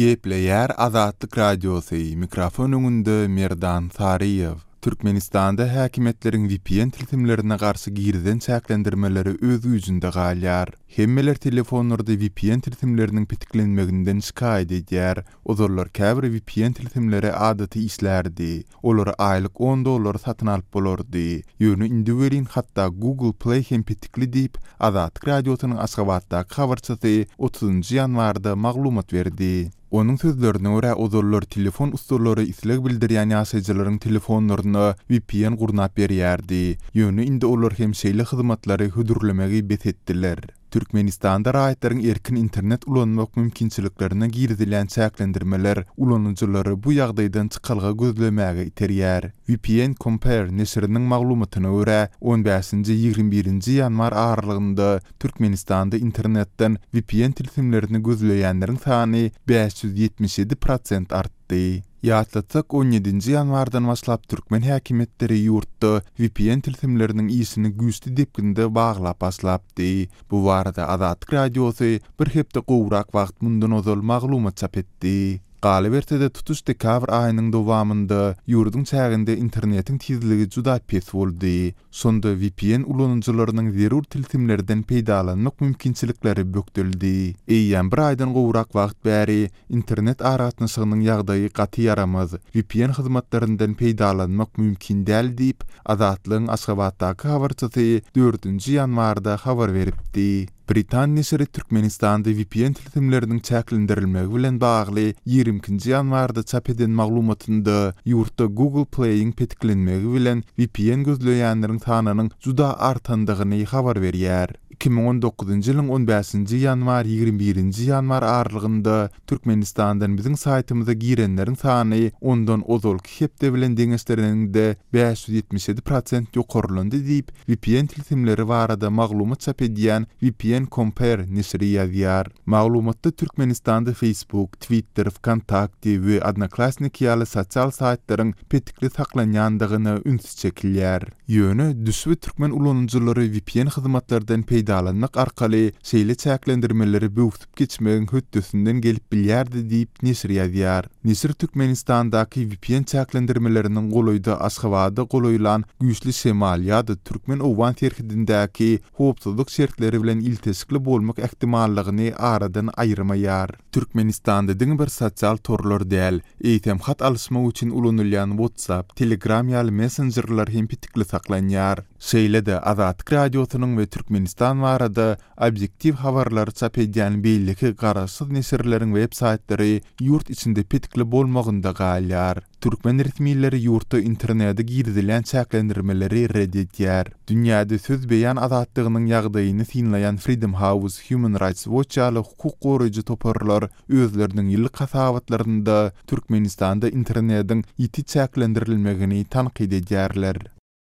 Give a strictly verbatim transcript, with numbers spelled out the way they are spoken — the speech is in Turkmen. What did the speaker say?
Gepleýär Azatlyk Radiosy, mikrofon öňünde Merdan Saryýew. Türkmenistanda häkimiýetleriň V P N tilsimlerine garşy girizen çäklendirmeleri öz güýjünde galýar. Hemmeler telefonlarda V P N tilsimleriniň petiklenmeginden şikaýat edýär. Ozallar käbir V P N tilsimleri adaty işlärdi. Olary aýlyk on dollara satyn alyp bolardy. Ýöne indi welin hatda Google Play hem petikli diýip, Azatlyk Radiosynyň Aşgabatdaky habarçysy otuzynjy ýanwarda maglumat berdi. Onuň sözlerine görä, ozallar telefon ussalary isleg bildirýän ýaşaýjylaryň telefonlaryna V P N gurnap berýärdi. Ýöne indi olar hem şeýle hyzmatlary hödürlemegi bes etdiler. Türkmenistanda raýatlaryň erkin internet ulanmak mümkinçiliklerine girizilýän çäklendirmeler ulanyjylary bu ýagdaýdan çykalga gözlemäge iterýär. V P N Compare neşiriniň maglumatyna görä, on bäşinji-ýigrimi birinji ýanwar aralygynda Türkmenistanda internetden V P N tilsimlerini gözleýänleriň sany bäş ýüz ýetmiş ýedi prosent artdy. Ýatlatsak, on ýedinji ýanwardan başlap türkmen häkimiýetleri ýurtda V P N tilsimleriniň işini güýçli depginde baglap başlapdy. Bu barada Azatlyk Radiosy bir hepde gowrak wagt mundan ozal maglumat çap etdi. Galyberse-de, tutuş dekabr aýynyň dowamynda ýurduň çäginde internetiň tizligi juda pes boldy. Şonda V P N ulanyjylarynyň zerur tilsimlerden peýdalanmak mümkinçilikleri bökdeldi. Eýýäm bir aýdan gowrak wagt bäri internet aragatnaşygynyň ýagdaýy gaty ýaramaz. V P N hyzmatlaryndan peýdalanmak mümkin däl diýip, Azatlygyň Aşgabatdaky habarçysy dördünji ýanwarda habar beripdi. Britan neşiri Türkmenistanda V P N tilsimleriniň çäklendirilmegi bilen bagly ýigrimi ikinji ýanwarda çap eden maglumatynda ýurtda Google Play-iň petiklenmegi bilen V P N gözleýänleriň sanynyň juda artandygyny habar berýär. iki müň on dokuzynjy ýylyň on bäşinji ýanwar ýigrimi birinji ýanwar aralygynda Türkmenistandan biziň saýtymyza girenleriň sany ondan ozalky hepde bilen deňeşdirilende bäş ýüz ýetmiş ýedi prosent ýokarlandy diýip, V P N tilsimleri barada maglumat çap edýän V P N Compare neşiri ýazýar. Maglumatda Türkmenistanda Facebook, Twitter, VKontakte we Odnoklassniki ýaly sosial saýtlaryň petikli saklanýandygyna üns çekilýär. Ýöne düşbi türkmen ulanyjylary V P N hyzmatlardan peýdalanmak arkaly şeýle çäklendirmeleri böwsüp geçmegiň hötdesinden gelip bilýärdi diýip, neşir ýazýar. Neşir Türkmenistandaky V P N çäklendirmeleriniň golaýda Aşgabada golaýlan güýçli şemal ýa-da türkmen-owgan serhedindäki howpsuzlyk şertleri bilen ilteşikli bolmak ähtimallygyny aradan aýyrmaýar. Türkmenistanda diňe bir sosial torlar däl, eýsem hat alyşmak üçin ulanylýan WhatsApp, Telegram ýaly messenjerler hem petikli saklanýar. Şeýle-de Azatlyk Radiosynyň we Türkmenistan barada obýektiw habarlary çap edýän beýleki garaşsyz neşirleriň web saýtlary ýurt içinde petikli bolmagynda galýar. Türkmen resmileri ýurtda internete girizilýän çäklendirmeleri red edýär. Dünýäde söz beýan azatlygynyň ýagdaýyny synlaýan Freedom House, Human Rights Watch ýaly hukuk goraýjy toparlar özleriniň ýyllyk hasabatlarynda Türkmenistanda internetiň ýiti çäklendirilmegini tankyt edýärler.